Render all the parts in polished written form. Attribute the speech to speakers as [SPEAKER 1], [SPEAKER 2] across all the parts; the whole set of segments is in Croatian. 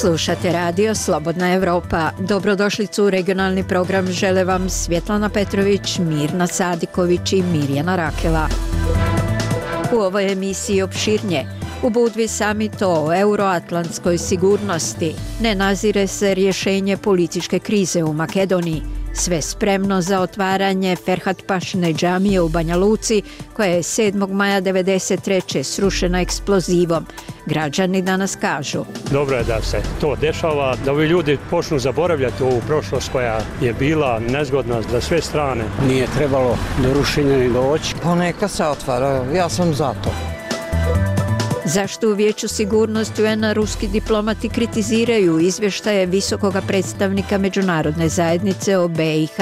[SPEAKER 1] Slušate radio Slobodna Evropa. Dobrodošlicu u regionalni program žele vam Svjetlana Petrović, Mirna Sadiković i Mirjana Rakela. U ovoj emisiji opširnje. U Budvi summit o euroatlantskoj sigurnosti. Ne nazire se rješenje političke krize u Makedoniji. Sve spremno za otvaranje Ferhatpašine džamije u Banja Luci, koja je 7. maja 1993. srušena eksplozivom. Građani danas kažu:
[SPEAKER 2] dobro je da se to dešava, da ovi ljudi počnu zaboravljati ovu prošlost koja je bila nezgodna za sve strane.
[SPEAKER 3] Nije trebalo do rušenja ni doći.
[SPEAKER 4] Pa neka se otvara, ja sam za to.
[SPEAKER 1] Zašto u Vijeću sigurnosti UN-a ruski diplomati kritiziraju izvještaje visokoga predstavnika međunarodne zajednice o BiH?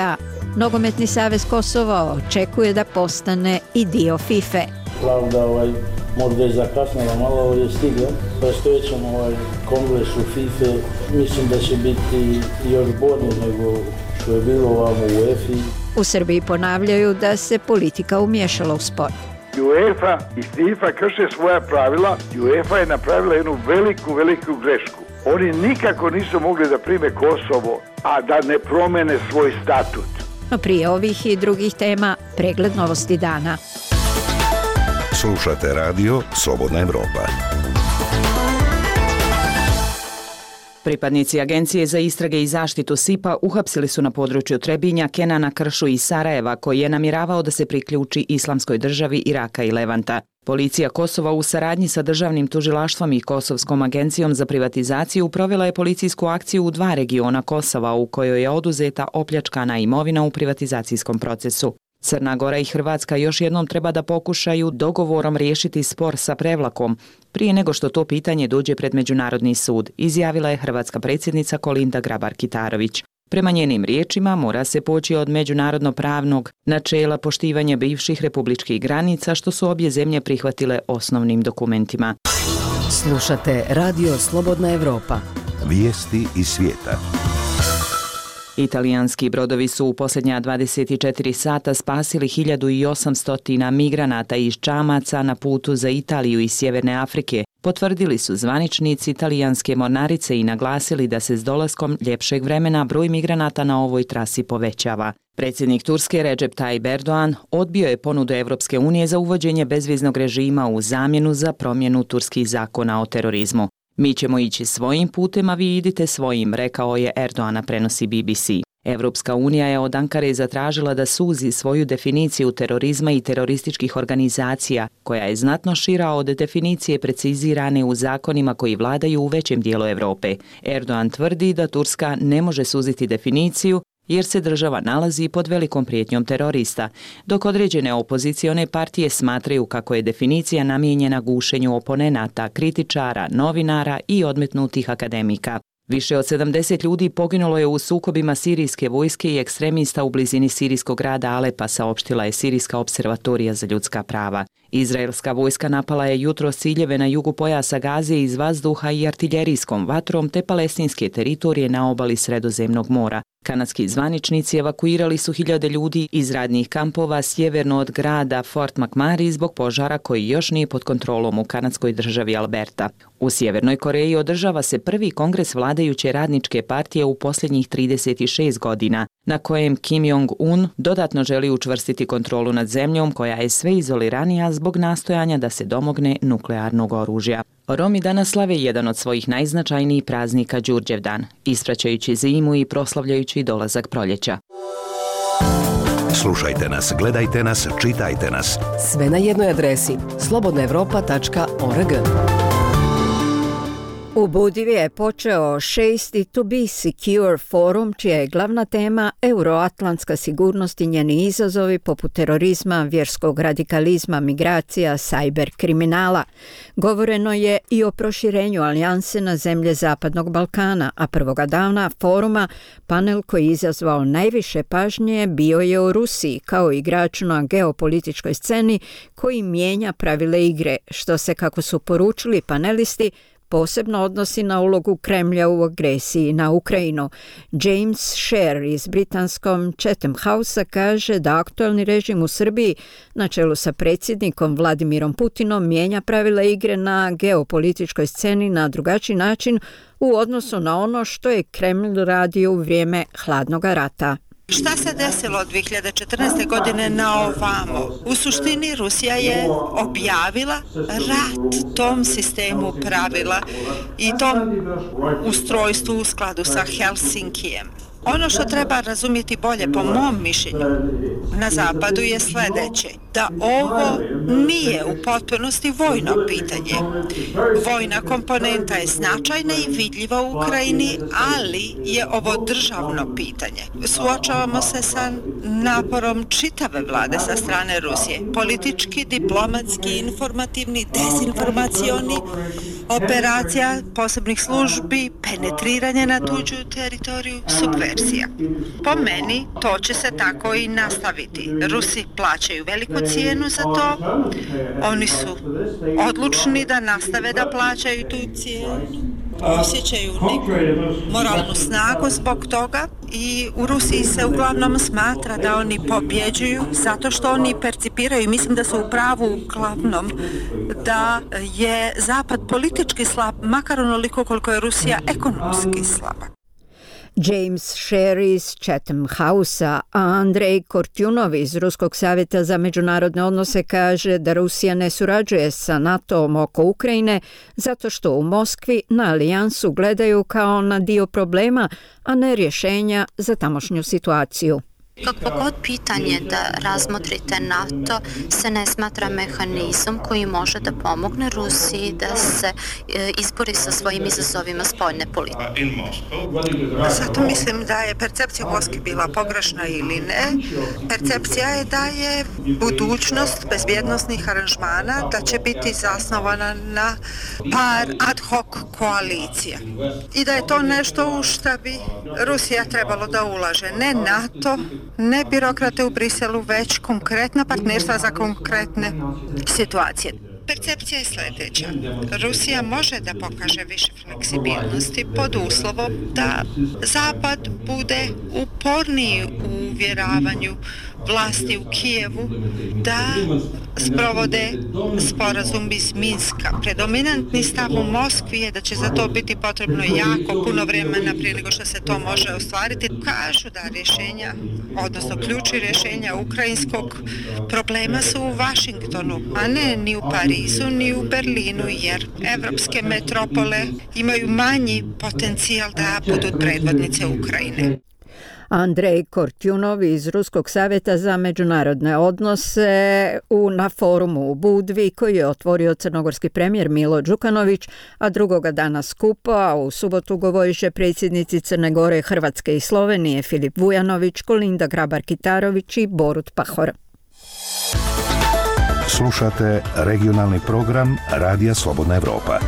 [SPEAKER 1] Nogometni savez Kosova očekuje da postane i dio FIFA.
[SPEAKER 5] Pravda možda je zakasnila malo, ali je stigla. Predstojećem kongresu FIFA mislim da će biti još bolje nego što je bilo ovamo u UEFA.
[SPEAKER 1] U Srbiji ponavljaju da se politika umiješala u sport.
[SPEAKER 6] UEFA i FIFA krše svoja pravila i UEFA je napravila jednu veliku grešku. Oni nikako nisu mogli da prime Kosovo, a da ne promene svoj statut.
[SPEAKER 1] No prije ovih i drugih tema, pregled novosti dana.
[SPEAKER 7] Slušate radio Slobodna Evropa.
[SPEAKER 8] Pripadnici Agencije za istrage i zaštitu SIPA uhapsili su na području Trebinja Kenana Kršu iz Sarajeva, koji je namjeravao da se priključi Islamskoj državi Iraka i Levanta. Policija Kosova u saradnji sa Državnim tužilaštvom i Kosovskom agencijom za privatizaciju provela je policijsku akciju u 2 regiona Kosova u kojoj je oduzeta opljačkana imovina u privatizacijskom procesu. Crna Gora i Hrvatska još jednom treba da pokušaju dogovorom riješiti spor sa Prevlakom prije nego što to pitanje dođe pred Međunarodni sud, izjavila je hrvatska predsjednica Kolinda Grabar-Kitarović. Prema njenim riječima mora se poći od međunarodno-pravnog načela poštivanja bivših republičkih granica, što su obje zemlje prihvatile osnovnim dokumentima.
[SPEAKER 9] Slušate radio Slobodna Evropa.
[SPEAKER 7] Vijesti iz svijeta.
[SPEAKER 8] Italijanski brodovi su u posljednja 24 sata spasili 1800 migranata iz čamaca na putu za Italiju iz Sjeverne Afrike, potvrdili su zvaničnici italijanske mornarice i naglasili da se s dolaskom ljepšeg vremena broj migranata na ovoj trasi povećava. Predsjednik Turske Recep Tayyip Erdogan odbio je ponudu Evropske unije za uvođenje bezviznog režima u zamjenu za promjenu turskih zakona o terorizmu. Mi ćemo ići svojim putem, a vi idite svojim, rekao je Erdogan, prenosi BBC. Evropska unija je od Ankare zatražila da suzi svoju definiciju terorizma i terorističkih organizacija, koja je znatno šira od definicije precizirane u zakonima koji vladaju u većem dijelu Europe. Erdogan tvrdi da Turska ne može suziti definiciju jer se država nalazi pod velikom prijetnjom terorista, dok određene opozicione partije smatraju kako je definicija namijenjena gušenju oponenata, kritičara, novinara i odmetnutih akademika. Više od 70 ljudi poginulo je u sukobima sirijske vojske i ekstremista u blizini sirijskog grada Alepa, saopštila je Sirijska observatorija za ljudska prava. Izraelska vojska napala je jutros ciljeve na jugu pojasa Gaze iz vazduha i artiljerijskom vatrom te palestinske teritorije na obali Sredozemnog mora. Kanadski zvaničnici evakuirali su 1000 ljudi iz radnih kampova sjeverno od grada Fort McMurray zbog požara koji još nije pod kontrolom u kanadskoj državi Alberta. U Sjevernoj Koreji održava se prvi kongres vladajuće radničke partije u posljednjih 36 godina, na kojem Kim Jong-un dodatno želi učvrstiti kontrolu nad zemljom koja je sve izoliranija zbog nastojanja da se domogne nuklearnog oružja. Romi danas slave jedan od svojih najznačajnijih praznika Đurđevdan, ispraćajući zimu i proslavljajući dolazak proljeća.
[SPEAKER 7] Slušajte nas, gledajte nas, čitajte nas.
[SPEAKER 9] Sve na jednoj adresi slobodnaevropa.org.
[SPEAKER 1] U Budvi je počeo 6. To be secure forum, čija je glavna tema euroatlantska sigurnost i njeni izazovi poput terorizma, vjerskog radikalizma, migracija, cyber kriminala. Govoreno je i o proširenju alijanse na zemlje Zapadnog Balkana, a prvoga dana foruma panel koji je izazvao najviše pažnje bio je o Rusiji kao igraču na geopolitičkoj sceni koji mijenja pravile igre, što se, kako su poručili panelisti, posebno odnosi na ulogu Kremlja u agresiji na Ukrajinu. James Sher iz britanskom Chatham Housea kaže da aktualni režim u Srbiji na čelu sa predsjednikom Vladimirom Putinom mijenja pravila igre na geopolitičkoj sceni na drugačiji način u odnosu na ono što je Kreml radio u vrijeme hladnog rata.
[SPEAKER 10] Šta se desilo od 2014. godine na ovamo? U suštini Rusija je objavila rat tom sistemu pravila i tom ustrojstvu u skladu sa Helsinkijem. Ono što treba razumjeti bolje, po mom mišljenju, na zapadu je sljedeće, da ovo nije u potpunosti vojno pitanje. Vojna komponenta je značajna i vidljiva u Ukrajini, ali je ovo državno pitanje. Suočavamo se sa naporom čitave vlade sa strane Rusije. Politički, diplomatski, informativni, dezinformacioni, operacija posebnih službi, penetriranje na tuđu teritoriju, subverzija. Po meni, to će se tako i nastaviti. Rusi plaćaju veliku cijenu za to. Oni su odlučni da nastave da plaćaju tu cijenu. Osjećaju neku moralnu snagu zbog toga i u Rusiji se uglavnom smatra da oni pobjeđuju zato što oni percipiraju, mislim da su u pravu uglavnom, da je Zapad politički slab, makar onoliko koliko je Rusija ekonomski slaba.
[SPEAKER 1] James Sher iz Chatham Housea, a Andrej Kortjunov iz Ruskog savjeta za međunarodne odnose kaže da Rusija ne surađuje sa NATO-om oko Ukrajine zato što u Moskvi na alijansu gledaju kao na dio problema, a ne rješenja za tamošnju situaciju.
[SPEAKER 11] Kakvo god pitanje da razmotrite NATO se ne smatra mehanizmom koji može da pomogne Rusiji da se izbori sa svojim izazovima spoljne politike.
[SPEAKER 10] Zato mislim da je percepcija u Moskvi bila pogrešna ili ne. Percepcija je da je budućnost bezbjednosnih aranžmana da će biti zasnovana na par ad hoc koalicija. I da je to nešto u što bi Rusija trebalo da ulaže. Ne NATO, ne birokrate u Briselu, već konkretna partnerstva za konkretne situacije. Percepcija je sljedeća. Rusija može da pokaže više fleksibilnosti pod uslovom da Zapad bude uporniji u uvjeravanju vlasti u Kijevu da sprovode sporazum iz Minska. Predominantni stav u Moskvi je da će za to biti potrebno jako puno vremena prije nego što se to može ostvariti. Kažu da rješenja, odnosno ključi rješenja ukrajinskog problema su u Washingtonu, a ne ni u Parizu, ni u Berlinu, jer evropske metropole imaju manji potencijal da budu predvodnice Ukrajine.
[SPEAKER 1] Andrej Kortjunov iz Ruskog savjeta za međunarodne odnose na forumu u Budvi koji je otvorio crnogorski premijer Milo Đukanović, a drugoga dana skupa, a u subotu govoriše predsjednici Crne Gore, Hrvatske i Slovenije Filip Vujanović, Kolinda Grabar-Kitarović i Borut Pahor.
[SPEAKER 7] Slušate regionalni program Radija Slobodna Evropa.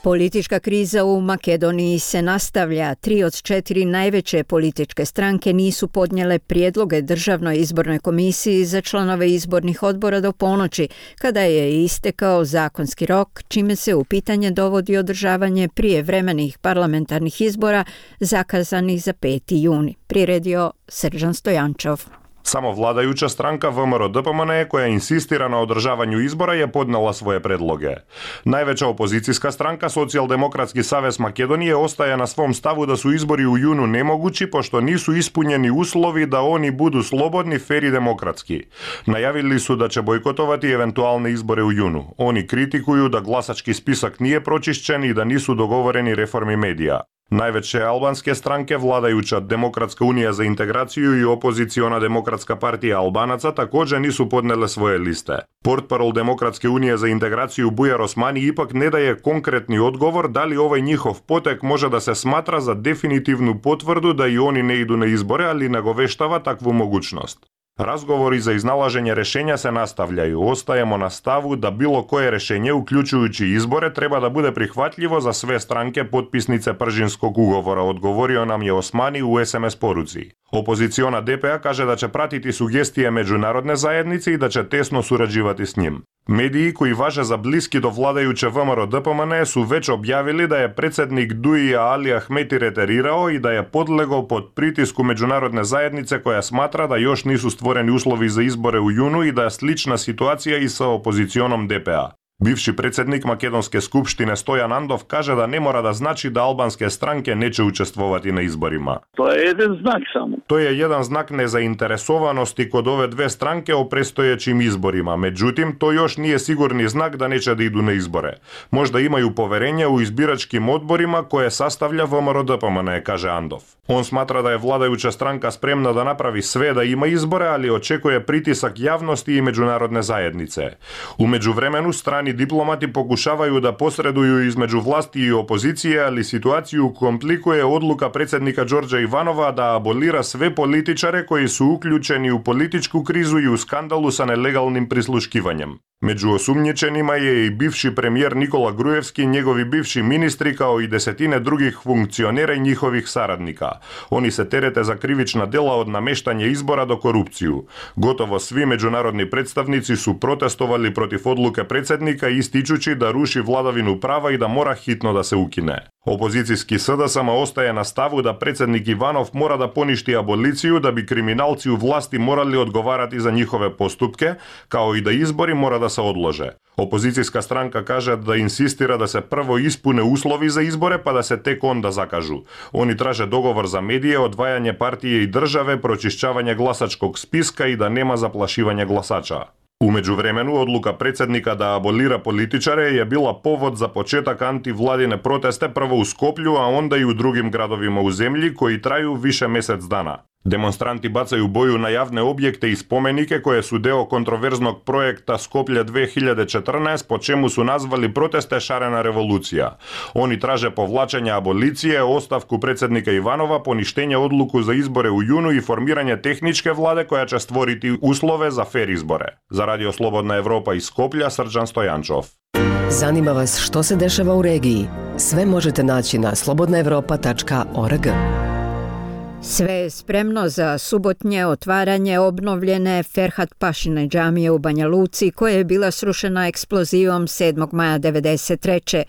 [SPEAKER 1] Politička kriza u Makedoniji se nastavlja. 3 od 4 najveće političke stranke nisu podnijele prijedloge Državnoj izbornoj komisiji za članove izbornih odbora do ponoći, kada je istekao zakonski rok, čime se u pitanje dovodi održavanje prijevremenih parlamentarnih izbora zakazanih za 5. juni. Priredio Srđan Stojančov.
[SPEAKER 12] Samo vladajuća stranka VMRO-DPMNE koja insistira na održavanju izbora je podnela svoje predloge. Najveća opozicijska stranka, Socijaldemokratski savez Makedonije, ostaje na svom stavu da su izbori u junu nemogući pošto nisu ispunjeni uslovi da oni budu slobodni, fer i demokratski. Najavili su da će bojkotovati eventualne izbore u junu. Oni kritikuju da glasački spisak nije pročišćen i da nisu dogovoreni reformi medija. Najveće albanske stranke, vladajuća Demokratska unija za integraciju i opoziciona Demokratska partija Albanaca, također nisu podnele svoje liste. Portparol Demokratske unije za integraciju Bujar Osmani ipak ne daje konkretni odgovor da li ovaj njihov potek može da se smatra za definitivnu potvrdu da i oni ne idu na izbore, ali nagoveštava takvu mogućnost. Razgovori za iznalaženje rješenja se nastavljaju. Ostajemo na stavu da bilo koje rješenje, uključujući izbore, treba da bude prihvatljivo za sve stranke potpisnice Pržinskog ugovora, odgovorio nam je Osmani u SMS poruci. Opoziciona DPA kaže da će pratiti sugestije međunarodne zajednice i da će tesno surađivati s njim. Mediji koji važe za bliski do vladajuće ВМРО ДПМН su već objavili da je predsjednik Duija Ali Ahmeti reterirao i da je podlegao pod pritisku međunarodne zajednice koja smatra da još nisu stvoreni uslovi za izbore u junu i da je slična situacija i sa opozicionom DPA. Bivši predsjednik Makedonske skupštine Stojan Andov kaže da ne mora da znači da albanske stranke neće učestvovati na izborima.
[SPEAKER 13] To je jedan znak samo.
[SPEAKER 12] To je jedan znak nezainteresovanosti kod ove dve stranke o predstojećim izborima. Međutim, to još nije sigurni znak da neće da idu na izbore. Možda imaju poverenje u izbiračkim odborima koje sastavlja ВМРО ДПМН, kaže Andov. On smatra da je vladajuća stranka spremna da napravi sve da ima izbore, ali očekuje pritisak javnosti i međunarodne zajednice. U međuvremenu strani diplomati pokušavaju da posreduju između vlasti i opozicije, ali situaciju komplikuje odluka predsjednika Đorđa Ivanova da abolira sve političare koji su uključeni u političku krizu i u skandalu sa nelegalnim prisluškivanjem. Među osumnjičenima je i bivši premijer Nikola Grujevski, njegovi bivši ministri kao i desetine drugih funkcionera i njihovih saradnika. Oni se terete za krivična djela od nameštanja izbora do korupciju. Gotovo svi međunarodni predstavnici su protestovali protiv odluke predsjednika ističući da ruši vladavinu prava i da mora hitno da se ukine. Opozicijski SDSM ostaje na stavu da predsjednik Ivanov mora da poništi aboliciju da bi kriminalci u vlasti morali odgovarati za njihove postupke, kao i da izbori mora da se odlože. Opozicijska stranka kaže da insistira da se prvo ispune uslovi za izbore pa da se tek onda zakažu. Oni traže dogovor za medije, odvajanje partije i države, pročišćavanje glasačkog spiska i da nema zaplašivanja glasača. U međuvremenu, odluka predsjednika da abolira političare je bila povod za početak antivladine proteste prvo u Skoplju, a onda i u drugim gradovima u zemlji koji traju više mjesec dana. Demonstranti bacaju boju na javne objekte i spomenike koje su deo kontroverznog projekta Skoplje 2014, po čemu su nazvali proteste šarena revolucija. Oni traže povlačenje abolicije, ostavku predsjednika Ivanova, poništenje odluku za izbore u junu i formiranje tehničke vlade koja će stvoriti uslove za fer izbore. Za Radio Slobodna Evropa iz Skoplja, Srđan Stojančov.
[SPEAKER 9] Zanima vas što se dešava u regiji? Sve možete naći na slobodnaevropa.org.
[SPEAKER 1] Sve je spremno za subotnje otvaranje obnovljene Ferhat Pašine džamije u Banja Luci, koja je bila srušena eksplozivom 7. maja 1993.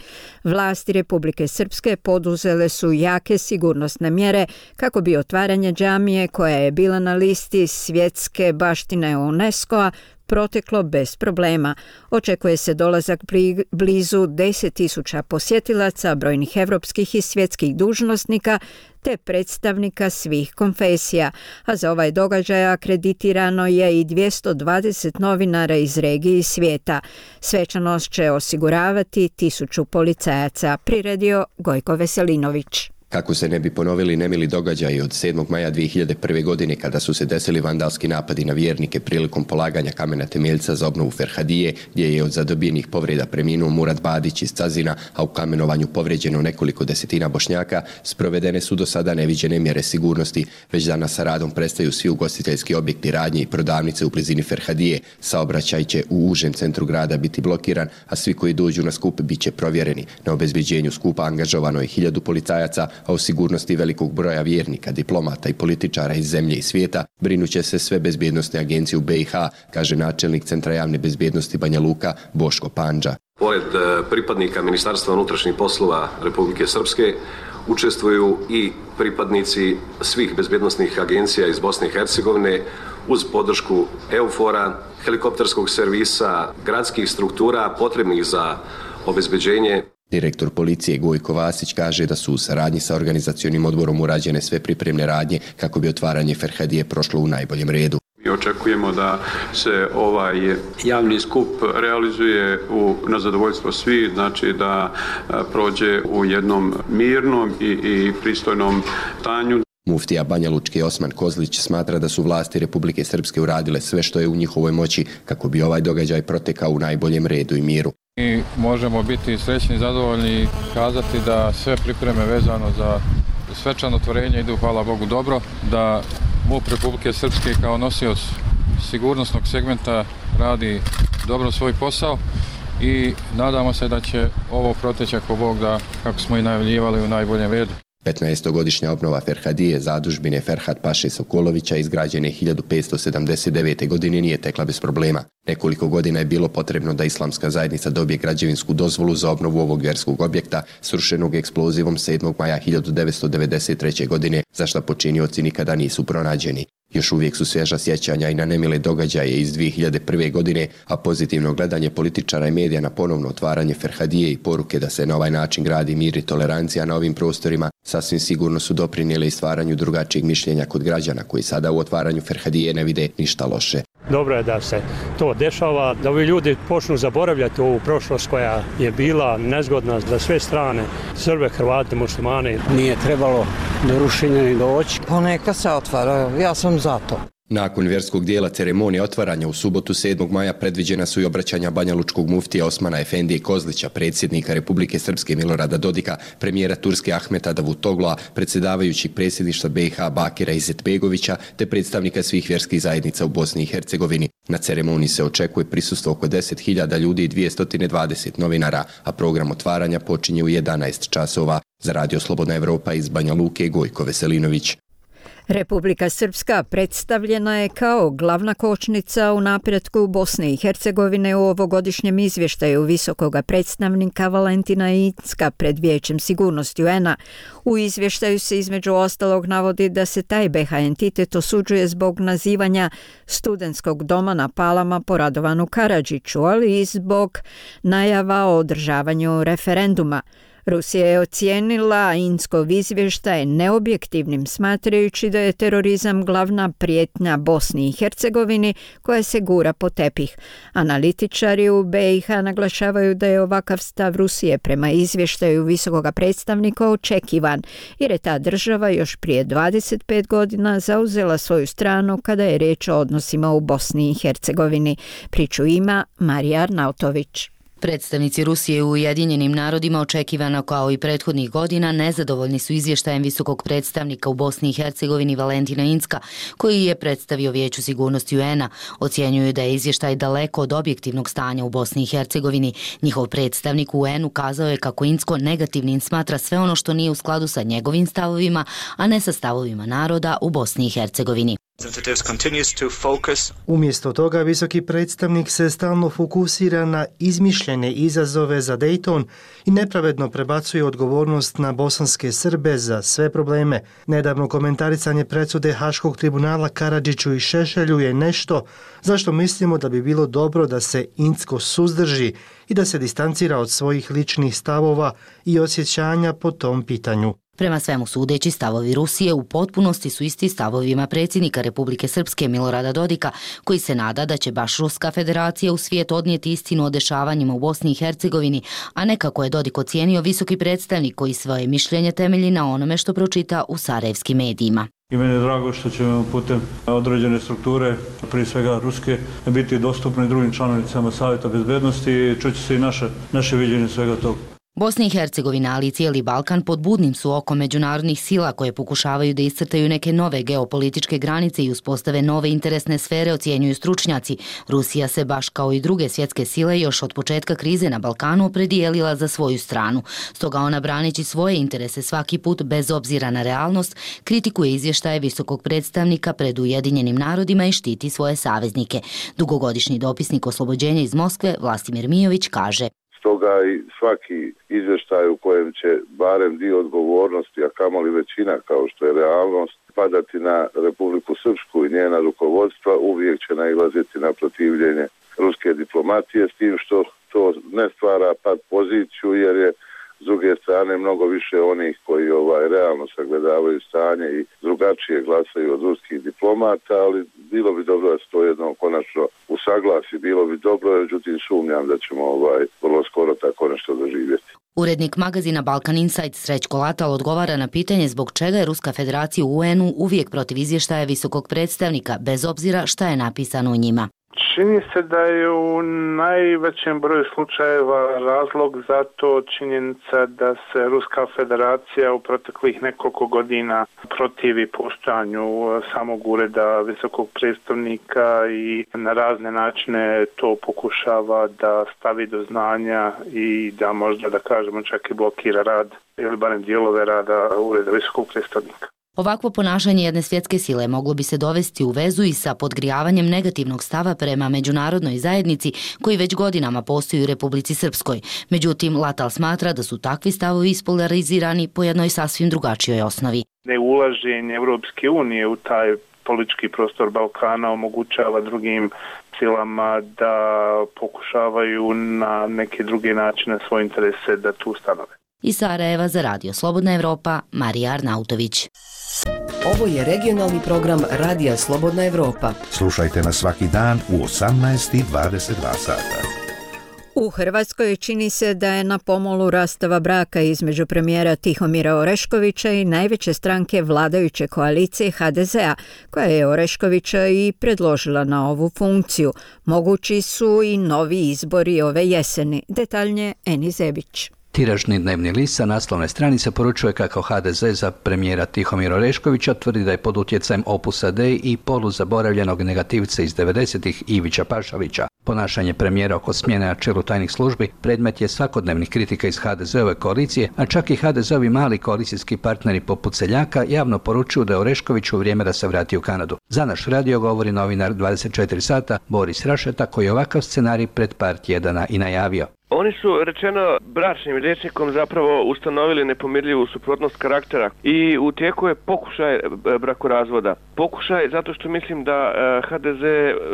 [SPEAKER 1] Vlasti Republike Srpske poduzele su jake sigurnosne mjere kako bi otvaranje džamije, koja je bila na listi svjetske baštine UNESCO-a, proteklo bez problema. Očekuje se dolazak blizu 10.000 posjetilaca, brojnih evropskih i svjetskih dužnosnika te predstavnika svih konfesija, a za ovaj događaj akreditirano je i 220 novinara iz regije i svijeta. Svečanost će osiguravati 1000 policajaca, priredio Gojko Veselinović.
[SPEAKER 14] Kako se ne bi ponovili nemili događaji od 7. maja 2001. godine kada su se desili vandalski napadi na vjernike prilikom polaganja kamena temeljca za obnovu Ferhadije, gdje je od zadobijenih povreda preminuo Murat Badić iz Cazina, a u kamenovanju povrijeđeno nekoliko desetina Bošnjaka, sprovedene su do sada neviđene mjere sigurnosti. Već danas sa radom prestaju svi ugostiteljski objekti, radnje i prodavnice u blizini Ferhadije. Saobraćaj će u užem centru grada biti blokiran, a svi koji dođu na skup bit će provjereni. Na obezbeđenju skupa angažovano je 1000 policajaca, a o sigurnosti velikog broja vjernika, diplomata i političara iz zemlje i svijeta brinuće se sve bezbjednostne agencije u BiH, kaže načelnik Centra javne bezbjednosti Banja Luka Boško Pandža.
[SPEAKER 15] Pored pripadnika Ministarstva unutrašnjih poslova Republike Srpske učestvuju i pripadnici svih bezbjednosnih agencija iz Bosne i Hercegovine uz podršku EUFOR-a, helikopterskog servisa, gradskih struktura potrebnih za obezbeđenje.
[SPEAKER 14] Direktor policije Gojko Vasić kaže da su u saradnji sa organizacionim odborom urađene sve pripremne radnje kako bi otvaranje Ferhadije prošlo u najboljem redu.
[SPEAKER 16] Mi očekujemo da se ovaj javni skup realizuje na zadovoljstvo svih, znači da prođe u jednom mirnom i pristojnom stanju.
[SPEAKER 14] Muftija Banja Lučke Osman Kozlić smatra da su vlasti Republike Srpske uradile sve što je u njihovoj moći kako bi ovaj događaj protekao u najboljem redu i miru.
[SPEAKER 17] Mi možemo biti srećni i zadovoljni i kazati da sve pripreme vezano za svečano otvorenje idu, hvala Bogu, dobro, da MUP Republike Srpske kao nosioc sigurnosnog segmenta radi dobro svoj posao i nadamo se da će ovo proteći ako Bog da, kako smo i najavljivali, u najboljem redu.
[SPEAKER 14] 15-godišnja obnova Ferhadije, zadužbine Ferhat Paše Sokolovića, izgrađene 1579. godine, nije tekla bez problema. Nekoliko godina je bilo potrebno da islamska zajednica dobije građevinsku dozvolu za obnovu ovog vjerskog objekta, srušenog eksplozivom 7. maja 1993. godine, za što počinioci nikada nisu pronađeni. Još uvijek su svježa sjećanja i na nemile događaje iz 2001. godine, a pozitivno gledanje političara i medija na ponovno otvaranje Ferhadije i poruke da se na ovaj način gradi mir i tolerancija na ovim prostorima sasvim sigurno su doprinijele i stvaranju drugačijeg mišljenja kod građana koji sada u otvaranju Ferhadije ne vide ništa loše.
[SPEAKER 2] Dobro je da se to dešava, da ovi ljudi počnu zaboravljati ovu prošlost koja je bila nezgodna za sve strane, Srbe, Hrvate, muslimane.
[SPEAKER 3] Nije trebalo do rušenja ni doći.
[SPEAKER 4] Pa neka se otvara, ja sam za to.
[SPEAKER 14] Nakon vjerskog dijela ceremonije otvaranja u subotu 7. maja predviđena su i obraćanja banjalučkog muftija Osmana Efendije Kozlića, predsjednika Republike Srpske Milorada Dodika, premijera Turske Ahmeta Davutogla, predsjedavajućeg predsjedništva BiH Bakira Izetbegovića te predstavnika svih vjerskih zajednica u Bosni i Hercegovini. Na ceremoniji se očekuje prisustvo oko 10.000 ljudi i 220 novinara, a program otvaranja počinje u 11 časova. Za Radio Slobodna Evropa iz Banja Luke, Gojko Veselinović.
[SPEAKER 1] Republika Srpska predstavljena je kao glavna kočnica u napretku Bosne i Hercegovine u ovogodišnjem izvještaju visokog predstavnika Valentina Incka pred Vijećem sigurnosti UN-a. U izvještaju se između ostalog navodi da se taj BiH entitet osuđuje zbog nazivanja studentskog doma na Palama po Radovanu Karadžiću, ali i zbog najava o održavanju referenduma. Rusija je ocijenila Inckov izvještaj neobjektivnim, smatrajući da je terorizam glavna prijetnja Bosni i Hercegovini koja se gura po tepih. Analitičari u BiH naglašavaju da je ovakav stav Rusije prema izvještaju visokog predstavnika očekivan, jer je ta država još prije 25 godina zauzela svoju stranu kada je riječ o odnosima u Bosni i Hercegovini. Priču ima Marija Arnautović.
[SPEAKER 13] Predstavnici Rusije u Ujedinjenim narodima, očekivano kao i prethodnih godina, nezadovoljni su izvještajem visokog predstavnika u Bosni i Hercegovini Valentina Incka, koji je predstavio Vijeću sigurnosti UN-a. Ocjenjuju da je izvještaj daleko od objektivnog stanja u Bosni i Hercegovini. Njihov predstavnik u UN-u kazao je kako Incko negativnim smatra sve ono što nije u skladu sa njegovim stavovima, a ne sa stavovima naroda u Bosni i Hercegovini.
[SPEAKER 18] Umjesto toga, visoki predstavnik se stalno fokusira na izmišljene izazove za Dayton i nepravedno prebacuje odgovornost na bosanske Srbe za sve probleme. Nedavno komentarisanje presude Haškog tribunala Karadžiću i Šešelju je nešto zašto mislimo da bi bilo dobro da se Incko suzdrži i da se distancira od svojih ličnih stavova i osjećanja po tom pitanju.
[SPEAKER 13] Prema svemu sudeći, stavovi Rusije u potpunosti su isti stavovima predsjednika Republike Srpske Milorada Dodika, koji se nada da će baš Ruska federacija u svijet odnijeti istinu o dešavanjima u Bosni i Hercegovini, a ne kako je Dodik ocijenio visoki predstavnik koji svoje mišljenje temelji na onome što pročita u sarajevskim medijima.
[SPEAKER 19] I meni je drago što ćemo putem određene strukture, prije svega ruske, biti dostupni drugim članicama Savjeta bezbednosti i čuće se i naše viđenje svega toga.
[SPEAKER 13] Bosna i Hercegovina, ali i cijeli Balkan pod budnim su okom međunarodnih sila koje pokušavaju da iscrtaju neke nove geopolitičke granice i uspostave nove interesne sfere, ocjenjuju stručnjaci. Rusija se baš kao i druge svjetske sile još od početka krize na Balkanu opredijelila za svoju stranu. Stoga ona, braneći svoje interese svaki put bez obzira na realnost, kritikuje izvještaje visokog predstavnika pred Ujedinjenim narodima i štiti svoje saveznike. Dugogodišnji dopisnik oslobođenja iz Moskve Vlastimir Mijović kaže:
[SPEAKER 20] Stoga i svaki izvještaj u kojem će barem dio odgovornosti, a kamoli većina kao što je realnost, padati na Republiku Srpsku i njena rukovodstva, uvijek će nailaziti na protivljenje ruske diplomatije, s tim što to ne stvara pad poziciju, jer je s druge strane mnogo više onih koji realno sagledavaju stanje i drugačije glasaju od ruskih diplomata, ali bilo bi dobro da se to jednom konačno usaglasi, bilo bi dobro, međutim sumnjam da ćemo vrlo skoro tako nešto doživjeti.
[SPEAKER 13] Urednik magazina Balkan Insight Srećko Latal odgovara na pitanje zbog čega je Ruska federacija u UN-u uvijek protiv izvještaja visokog predstavnika, bez obzira šta je napisano u njima.
[SPEAKER 21] Čini se da je u najvećem broju slučajeva razlog za to činjenica da se Ruska federacija u proteklih nekoliko godina protivi postojanju samog ureda visokog predstavnika i na razne načine to pokušava da stavi do znanja i da možda, da kažemo, čak i blokira rad ili barem dijelove rada ureda visokog predstavnika.
[SPEAKER 13] Ovakvo ponašanje jedne svjetske sile moglo bi se dovesti u vezu i sa podgrijavanjem negativnog stava prema međunarodnoj zajednici koji već godinama postoji u Republici Srpskoj. Međutim, Latal smatra da su takvi stavovi ispolarizirani po jednoj sasvim drugačijoj osnovi.
[SPEAKER 21] Neulaženje Europske unije u taj politički prostor Balkana omogućava drugim silama da pokušavaju na neke druge načine svoje interese da tu stanove.
[SPEAKER 13] Iz Sarajeva za Radio Slobodna Evropa, Marija Arnautović.
[SPEAKER 9] Ovo je regionalni program Radija Slobodna Evropa.
[SPEAKER 7] Slušajte nas svaki dan u 18:22 sata.
[SPEAKER 1] U Hrvatskoj čini se da je na pomolu rastava braka između premijera Tihomira Oreškovića i najveće stranke vladajuće koalicije HDZ-a, koja je Oreškovića i predložila na ovu funkciju. Mogući su i novi izbori ove jeseni. Detaljnije Eni Zebić.
[SPEAKER 22] Tiražni dnevni list sa naslovne stranice poručuje kako HDZ za premijera Tihomira Oreškovića tvrdi da je pod utjecajem Opusa Dei i poluzaboravljenog negativca iz 90-ih Ivića Pašalića. Ponašanje premijera oko smjene na čelu tajnih službi predmet je svakodnevnih kritika iz HDZ-ove koalicije, a čak i HDZ-ovi mali koalicijski partneri poput Seljaka javno poručuju da je Oreškoviću vrijeme da se vrati u Kanadu. Za naš radio govori novinar 24 sata Boris Rašeta, koji je ovakav scenarij pred par tjedana i najavio.
[SPEAKER 23] Oni su, rečeno bračnim rječnikom, zapravo ustanovili nepomirljivu suprotnost karaktera i u tijeku je pokušaj brakorazvoda. Pokušaj zato što mislim da HDZ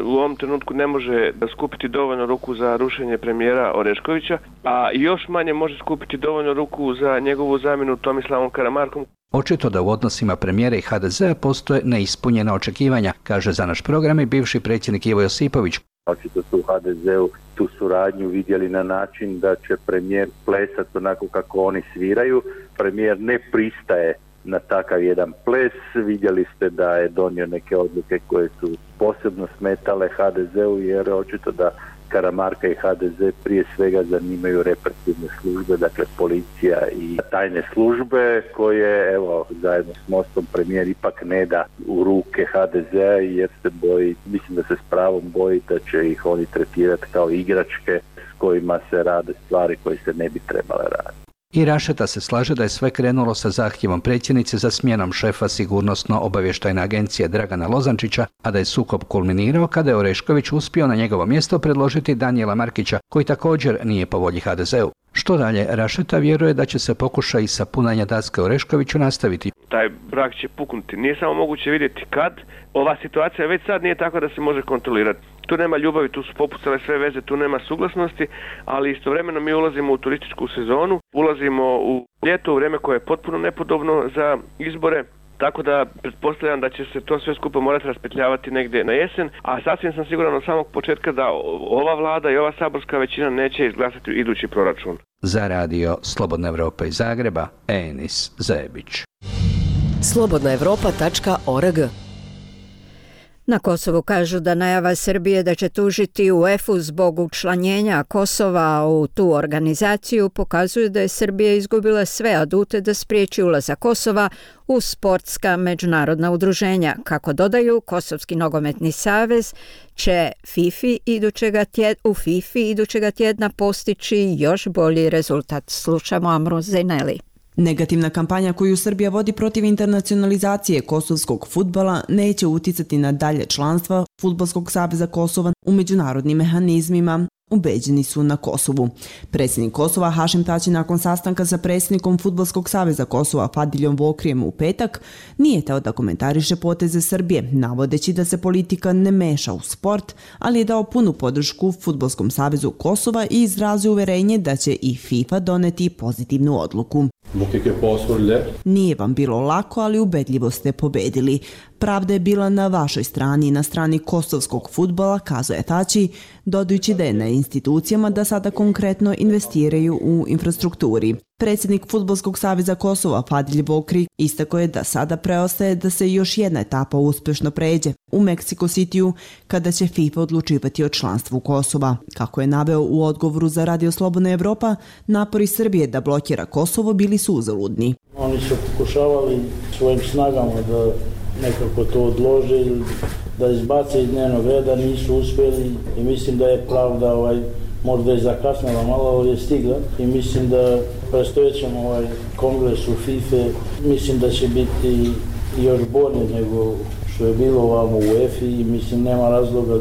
[SPEAKER 23] u ovom trenutku ne može skupiti dovoljno ruku za rušenje premijera Oreškovića, a još manje može skupiti dovoljno ruku za njegovu zamjenu Tomislavom Karamarkom.
[SPEAKER 22] Očito da u odnosima premijera i HDZ-a postoje neispunjena očekivanja, kaže za naš program i bivši predsjednik Ivo Josipović.
[SPEAKER 24] Očito su u HDZ-u tu suradnju vidjeli na način da će premijer plesati onako kako oni sviraju. Premijer ne pristaje na takav jedan ples. Vidjeli ste da je donio neke odluke koje su posebno smetale HDZ-u, jer očito da Karamarka i HDZ prije svega zanimaju represivne službe, dakle policija i tajne službe, koje evo zajedno s Mostom premijer ipak ne da u ruke HDZ-a, jer se boji, mislim da se s pravom boji da će ih oni tretirati kao igračke s kojima se rade stvari koje se ne bi trebale raditi.
[SPEAKER 22] I Rašeta se slaže da je sve krenulo sa zahtjevom predsjednice za smjenom šefa sigurnosno-obavještajne agencije Dragana Lozančića, a da je sukob kulminirao kada je Orešković uspio na njegovo mjesto predložiti Danijela Markića, koji također nije po volji HDZ-u. Što dalje, Rašeta vjeruje da će se pokušaj sapunanja daske Oreškoviću nastaviti.
[SPEAKER 23] Taj brak će puknuti. Nije samo moguće vidjeti kad. Ova situacija već sad nije tako da se može kontrolirati. Tu nema ljubavi, tu su popucale sve veze, tu nema suglasnosti, ali istovremeno mi ulazimo u turističku sezonu, ulazimo u ljeto, u vrijeme koje je potpuno nepodobno za izbore, tako da pretpostavljam da će se to sve skupo morati raspetljavati negdje na jesen, a sasvim sam siguran od samog početka da ova vlada i ova saborska većina neće izglasati idući proračun.
[SPEAKER 22] Za radio Slobodna Evropa iz Zagreba, Enis Zebić.
[SPEAKER 9] slobodnaevropa.org.
[SPEAKER 1] Na Kosovu kažu da najava Srbije da će tužiti UEFA zbog učlanjenja Kosova u tu organizaciju pokazuje da je Srbija izgubila sve adute da spriječi ulazak Kosova u sportska međunarodna udruženja. Kako dodaju, Kosovski nogometni savez će u FIFA idućega tjedna postići još bolji rezultat. Slušamo Amru Zejneli.
[SPEAKER 25] Negativna kampanja koju Srbija vodi protiv internacionalizacije kosovskog fudbala neće uticati na dalje članstva Fudbalskog saveza Kosova u međunarodnim mehanizmima, ubeđeni su na Kosovu. Predsjednik Kosova Hašim Tači nakon sastanka sa predsjednikom Fudbalskog saveza Kosova Fadiljom Vokrijem u petak nije teo da komentariše poteze Srbije, navodeći da se politika ne meša u sport, ali je dao punu podršku Fudbalskom savezu Kosova i izrazio uverenje da će i FIFA doneti pozitivnu odluku. Nije vam bilo lako, ali ubedljivo ste pobedili. Pravda je bila na vašoj strani i na strani kosovskog fudbala, kazuje Tači, dodajući da je na institucijama da sada konkretno investiraju u infrastrukturi. Predsjednik Fudbalskog saveza Kosova Fadilj Vokri istakao je da sada preostaje da se još jedna etapa uspješno pređe, u Mexico Cityu kada će FIFA odlučivati o članstvu Kosova. Kako je naveo u odgovoru za Radio Slobodna Evropa, napori Srbije da blokira Kosovo bili su uzaludni.
[SPEAKER 5] Oni su pokušavali svojim snagama da nekako to odlože ili da izbace iz dnevnog reda, nisu uspjeli i mislim da je pravda možda je zakasnila malo, ali je stigla i mislim da predstojećem kongres u FIFA mislim da će biti još bolje nego što je bilo ovamo u UEFA i mislim nema razloga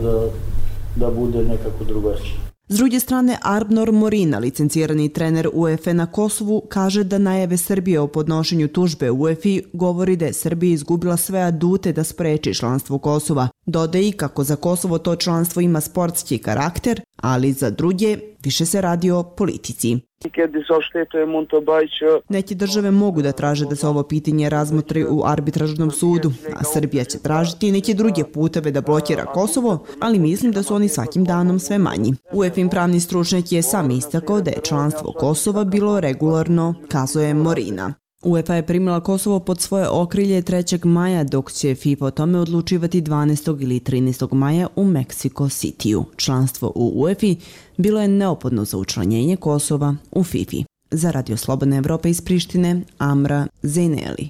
[SPEAKER 5] da bude nekako drugačije.
[SPEAKER 25] S druge strane, Arbnor Morina, licencirani trener UEFA na Kosovu, kaže da najave Srbije o podnošenju tužbe UEFA govori da je Srbija izgubila sve adute da spreči članstvo Kosova. Dodaje i kako za Kosovo to članstvo ima sportski karakter, ali za druge više se radi o politici. Neke države mogu da traže da se ovo pitanje razmotri u arbitražnom sudu, a Srbija će tražiti neke druge puteve da blokira Kosovo, ali mislim da su oni svakim danom sve manji. UEFA pravni stručnjak je sam istakao da je članstvo Kosova bilo regularno, kazuje Morina. UEFA je primila Kosovo pod svoje okrilje 3. maja, dok će FIFA o tome odlučivati 12. ili 13. maja u Mexico Cityu. Članstvo u UEFA bilo je neophodno za učlanjenje Kosova u FIFA. Za Radio Slobodna Evropa iz Prištine, Amra Zejneli.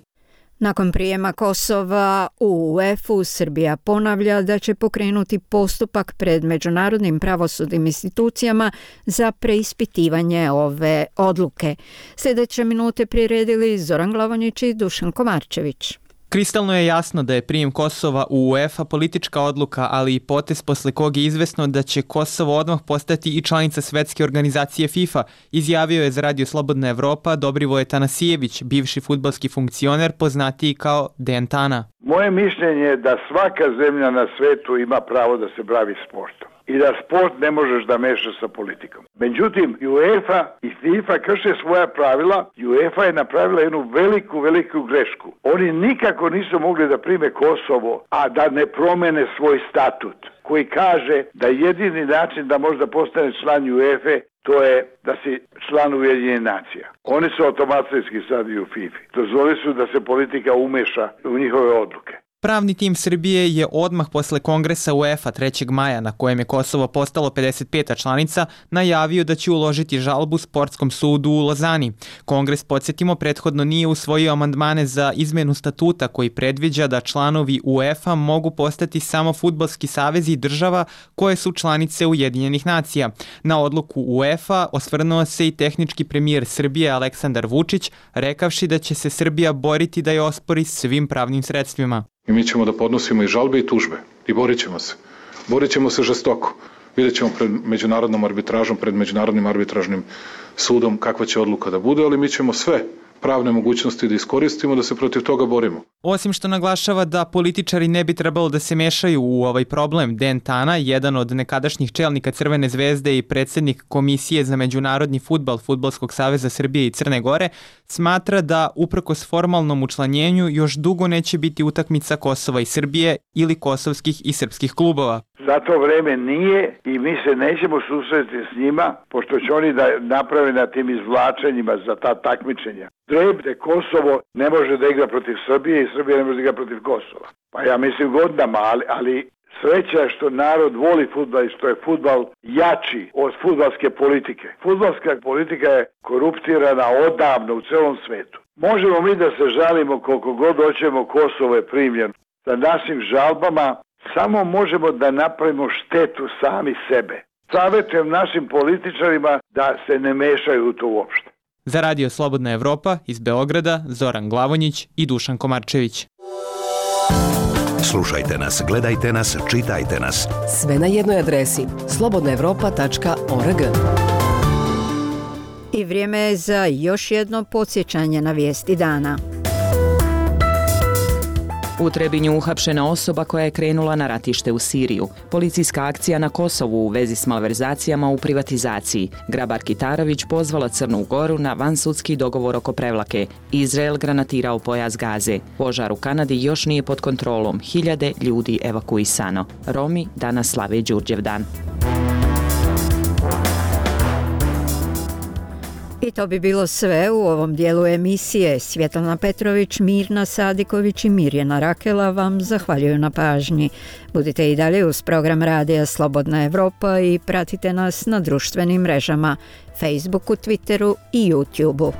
[SPEAKER 1] Nakon prijema Kosova u UEFA-u, Srbija ponavlja da će pokrenuti postupak pred međunarodnim pravosudnim institucijama za preispitivanje ove odluke. Sljedeće minute priredili Zoran Glavonjić i Dušan Komarčević.
[SPEAKER 6] Kristalno je jasno da je prijem Kosova u UEFA politička odluka, ali i potez posle kog je izvesno da će Kosovo odmah postati i članica svetske organizacije FIFA, izjavio je za Radio Slobodna Evropa Dobrivoje Tanasijević, bivši fudbalski funkcioner poznatiji kao Dejan Tana.
[SPEAKER 8] Moje mišljenje je da svaka zemlja na svetu ima pravo da se bavi sportom i da sport ne možeš da mešaš sa politikom. Međutim, UEFA i FIFA krše svoja pravila. UEFA je napravila jednu veliku grešku. Oni nikako nisu mogli da prime Kosovo, a da ne promene svoj statut, koji kaže da jedini način da možda postane član UEFA to je da si član Ujedinjenih nacija. Oni su automatski sad i u FIFA. Dozvolili su da se politika umeša u njihove odluke.
[SPEAKER 6] Pravni tim Srbije je odmah posle kongresa UEFA 3. maja, na kojem je Kosovo postalo 55. članica, najavio da će uložiti žalbu Sportskom sudu u Lozani. Kongres, podsjetimo, prethodno nije usvojio amandmane za izmenu statuta koji predviđa da članovi UEFA mogu postati samo fudbalski savezi država koje su članice Ujedinjenih nacija. Na odluku UEFA osvrnuo se i tehnički premijer Srbije Aleksandar Vučić, rekavši da će se Srbija boriti da je ospori svim pravnim sredstvima.
[SPEAKER 10] I mi ćemo da podnosimo i žalbe i tužbe i borit ćemo se. Borit ćemo se žestoko. Vidjet ćemo pred međunarodnom arbitražom, pred međunarodnim arbitražnim sudom kakva će odluka da bude, ali mi ćemo sve pravne mogućnosti da iskoristimo da se protiv toga borimo.
[SPEAKER 6] Osim što naglašava da političari ne bi trebalo da se mešaju u ovaj problem, Dejan Tana, jedan od nekadašnjih čelnika Crvene zvezde i predsjednik Komisije za međunarodni fudbal Fudbalskog saveza Srbije i Crne Gore, smatra da uprkos formalnom učlanjenju još dugo neće biti utakmica Kosova i Srbije ili kosovskih i srpskih klubova.
[SPEAKER 8] Za to vreme nije i mi se nećemo susreti s njima, pošto će oni da naprave na tim izvlačenjima za ta takmičenja. Trebde Kosovo ne može da igra protiv Srbije i Srbija ne može da igra protiv Kosova. Pa ja mislim godinama, ali sreća je što narod voli fudbal i što je fudbal jači od fudbalske politike. Fudbalska politika je koruptirana odavno u celom svetu. Možemo mi da se žalimo koliko god hoćemo, Kosovo je primljeno. Sa našim žalbama samo možemo da napravimo štetu sami sebe. Savjetujem našim političarima da se ne mešaju u to uopšte.
[SPEAKER 6] Za Radio Slobodna Evropa iz Beograda, Zoran Glavonjić i Dušan Komarčević.
[SPEAKER 7] Slušajte nas, gledajte nas, čitajte nas.
[SPEAKER 9] Sve na jednoj adresi slobodnaevropa.org.
[SPEAKER 1] I vrijeme je za još jedno podsjećanje na vijesti dana.
[SPEAKER 11] U Trebinju uhapšena osoba koja je krenula na ratište u Siriju. Policijska akcija na Kosovu u vezi s malverzacijama u privatizaciji. Grabar Kitarović pozvala Crnu Goru na vansudski dogovor oko prevlake. Izrael granatirao pojas Gaze. Požar u Kanadi još nije pod kontrolom. 1000 ljudi evakuisano. Romi danas slave Đurđevdan.
[SPEAKER 1] I to bi bilo sve u ovom dijelu emisije. Svjetlana Petrović, Mirna Sadiković i Mirjana Rakela vam zahvaljuju na pažnji. Budite i dalje uz program Radija Slobodna Evropa i pratite nas na društvenim mrežama, Facebooku, Twitteru i YouTubeu.